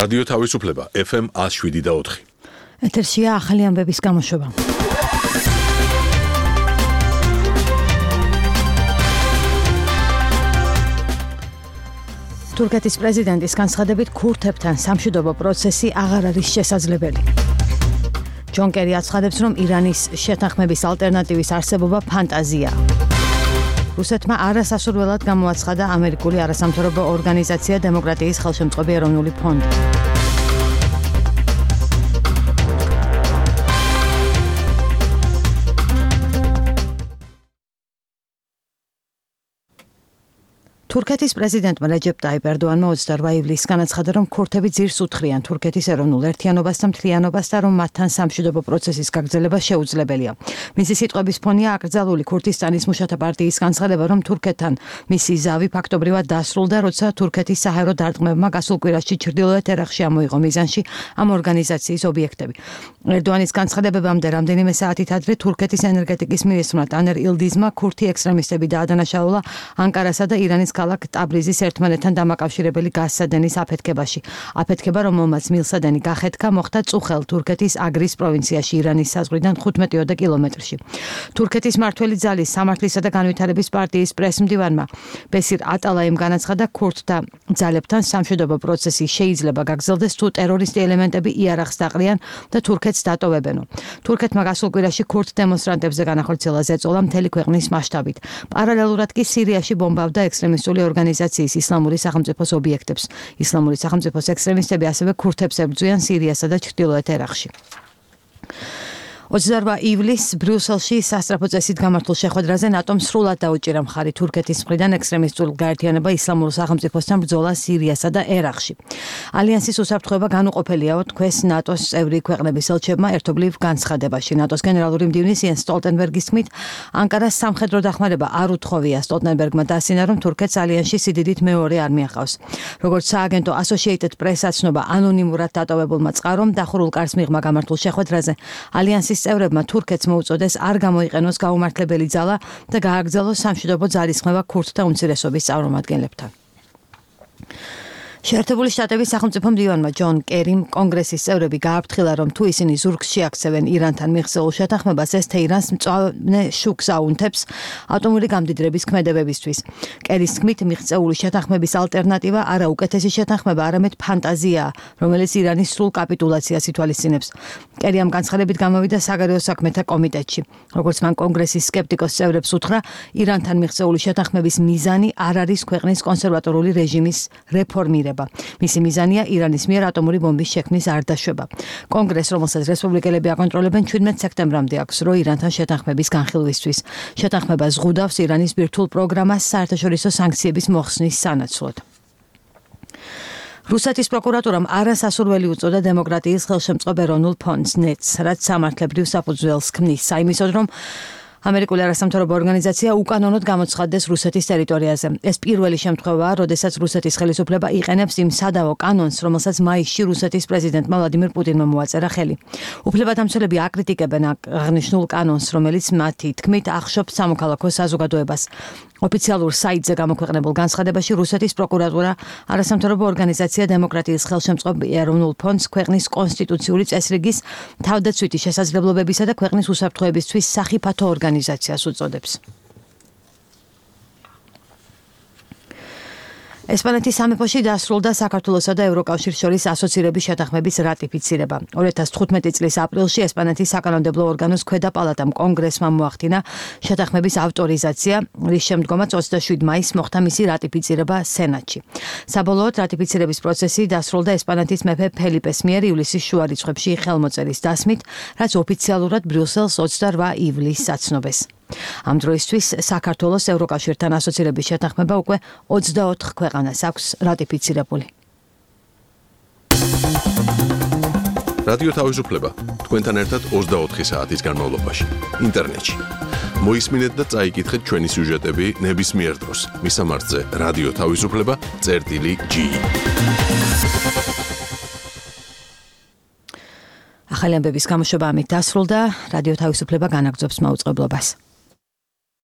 რადიო თავისუფლება FM 107.4. ეთერშია ახალი ამბების გამოშვება. თურქეთის პრეზიდენტის განცხადებით ქურთებთან სამშვიდობო პროცესი აღარ არის შესაძლებელი. ჯონ კერი აცხადებს, რომ ირანის შეთანხმების ალტერნატივის არსებობა ფანტაზია. რუსეთმა არასასურველად გამოაცხადა ამერიკული არასამთავრობო ორგანიზაცია დემოკრატიის ხელშემწყობი ეროვნული ფონდი. თურქეთის პრეზიდენტმა რეჯეპ ტაიპ ერდოანმა 28 ივლისს განაცხადა, რომ ქურთები ძირს უთხრიან თურქეთის ეროვნულ ერთიანობას და მთლიანობას და რომ მათთან სამშვიდობო პროცესის გაგრძელება შეუძლებელია. მისი სიტყვების ფონია აკრძალული ქურთისტანის მუშათა პარტიის განცხადება, რომ თურქეთთან მისი ზავი ფაქტობრივად დასრულდა, როცა თურქეთის საჰაერო დარტყმებმა გასულ კვირაში ჩრდილოეთ ერაყში ამოიღო მიზანში ამ ორგანიზაციის ობიექტები. ერდოანის განცხადებებამდე რამდენიმე საათით ადრე თურქეთის ენერგეტიკის მინისტრმა ტანერ ილდიზმა ქურთი ექსტრემისტები დაადანაშაულა ანკარასა და ირანის ქალაქ ტაბრიზის ერთმანეთთან დამაკავშირებელი გაზსადენის აფეთქებაში. აფეთქება, რომელმაც მილსადენი გახეთქა, მოხდა წუხელ თურქეთის აგრის პროვინციაში ირანის საზღვრიდან 15 კილომეტრში. თურქეთის მმართველი ძალის სამართლისა და განვითარების პარტიის პრესმდივანმა ბესირ ატალაიმ განაცხადა, ქურთთა ძალებთან სამშვიდობო პროცესი შეიძლება გაგრძელდეს თუ ტერორისტი ელემენტები იარაღს დაყრიან და თურქეთს დატოვებენო. თურქეთმა გასულ კვირაში ქურთ დემონსტრანტებზე განახორციელა ზეწოლა მთელი ქვეყნის მასშტაბით. პარალელურად კი სირიაში ბომბავდა ექსტრემისტული ორგანიზაციის ისლამური სახელმწიფოს ობიექტებს. ისლამური სახელმწიფოს ექსტრემისტები ასევე ქურთებს ებრძვიან სირიასა და ჩრდილოეთ ერაყში. 28 ივლისს ბრიუსელში სასწრაფო წესით გამართულ შეხვედრაზე ნატომ სრულად დაუჭირა მხარი თურქეთის მხრიდან ექსტრემისტულ გაერთიანება ისლამურ სახელმწიფოსთან ბრძოლა სირიასა და ერაყში. ალიანსის უსაფრთხოება განუყოფელია, თქვეს ნატოს წევრი ქვეყნების ელჩებმა ერთობლივ განცხადებაში. ნატოს გენერალური მდივნის იენს სტოლტენბერგის თქმით, ანკარას სამხედრო დახმარება არ უთხოვია. სტოლტენბერგმა დაასინა, რომ თურქეთს ალიანსში სიდიდით მეორე არმია ჰყავს. როგორც სააგენტო Associated Press აცნობა ანონიმურად დატოვებულმა წყარომ, დახურულ კარს მიღმა გამართულ შეხვედრაზე ალიანსის წევრებმა თურქეთს მოუწოდეს არ გამოიყენოს გაუმართლებელი ძალა და გააგრძელოს სამშვიდობო ძალისხმევა ქურთთა უმცირესობის წარმომადგენლებთან. შეერთებული შტატების სახელმწიფო მდივანმა ჯონ კერიმ კონგრესის წევრები გააფრთხილა, რომ თუ ისინი ზურგს შეაქცევენ ირანთან მიღწეულ შეთანხმებას, ეს თეირანს მწვანე შუქს აუნთებს ატომური გამდიდრების ქმედებებისთვის. კერის თქმით, მიღწეული შეთანხმების ალტერნატივა არა უკეთესი შეთანხმება, არამედ ფანტაზიაა, რომელიც ირანის სრულ კაპიტულაციას ითვალისწინებს. კერი ამ განცხადებით გამოვიდა საგარეო საქმეთა კომიტეტში. როგორც მან კონგრესის სკეპტიკოს წევრებს უთხრა, ირანთან მიღწეული შეთანხმების მიზანი არ არის ქვეყნის კონსერვატორული რეჟიმის რეფორმირება. მისი მიზანია ირანის მიერ ატომური ბომბის შექმნის არ დაშვება. კონგრესს, რომელსაც რესპუბლიკელები აკონტროლებენ, 17 სექტემბრამდე აქვს რო ირანთან შეთანხმების განხილვისთვის. შეთანხმება ზღუდავს ირანის ბირთვულ პროგრამას საერთაშორისო სანქციების მოხსნის სანაცვლოდ. რუსეთის პროკურატურამ არასასურველი უწოდა დემოკრატიის ხელშემწყობ ეროვნულ ფონდს ნეტს, რაც სამართლებრივ საფუძველს ქმნის საიმისოდ, რომ ამერიკული არასამთავრობო ორგანიზაცია უკანონოდ გამოცხადდეს რუსეთის ტერიტორიაზე. ეს პირველი შემთხვევაა, როდესაც რუსეთის ხელისუფლება იყენებს იმ სადავო კანონს, რომელსაც მაისში რუსეთის პრეზიდენტმა ვლადიმირ პუტინმა მოაწერა ხელი. უფლებადამცველები აკრიტიკებენ აღნიშნულ კანონს, რომელიც მათი თქმით ახშობს სამოქალაქო საზოგადოებას. ოფიციალურ საიტზე გამოქვეყნებულ განცხადებაში რუსეთის პროკურატურა არასამთავრობო ორგანიზაცია დემოკრატიის ხელშემწყობ ეროვნულ ფონდს ქვეყნის კონსტიტუციური წესრიგის თავდაცვითი შესაძლებლობებისა და ქვეყნის უსაფრთხოებისთვის სახიფათო ორგანიზაციას უწოდებს. ესპანეთის სამეფოში დასრულდა საქართველოსა და ევროკავშირის შორის ასოცირების შეთანხმების რატიფიცირება. 2015 წლის აპრილში ესპანეთის საკანონმდებლო ორგანოს ქვედა პალატამ კონგრესმა მოახდინა შეთანხმების ავტორიზაცია, რის შემდგომაც 27 მაისს მოხდა მისი რატიფიცირება სენატში. საბოლოოდ რატიფიცირების პროცესი დასრულდა ესპანეთის მეფე ფელიპეს მიერ ივლისის შუა რიცხვებში ხელმოწერის დასმით, რაც ოფიციალურად ბრიუსელს 28 ივლისს აცნობეს. ამ დროისთვის საქართველოს ევროკავშირთან ასოცირების შეთანხმება უკვე 24 ქვეყანას აქვს რატიფიცირებული. რადიო თავისუფლება თქვენთან ერთად 24 საათის განმავლობაში ინტერნეტში. მოისმინეთ და წაიკითხეთ ჩვენი სიუჟეტები ნებისმიერ დროს. მისამართზე რადიო თავისუფლება.gi. ახალი ამბების გამოშვება ამით დასრულდა. რადიო თავისუფლება განაგრძობს მაუწყებლობას.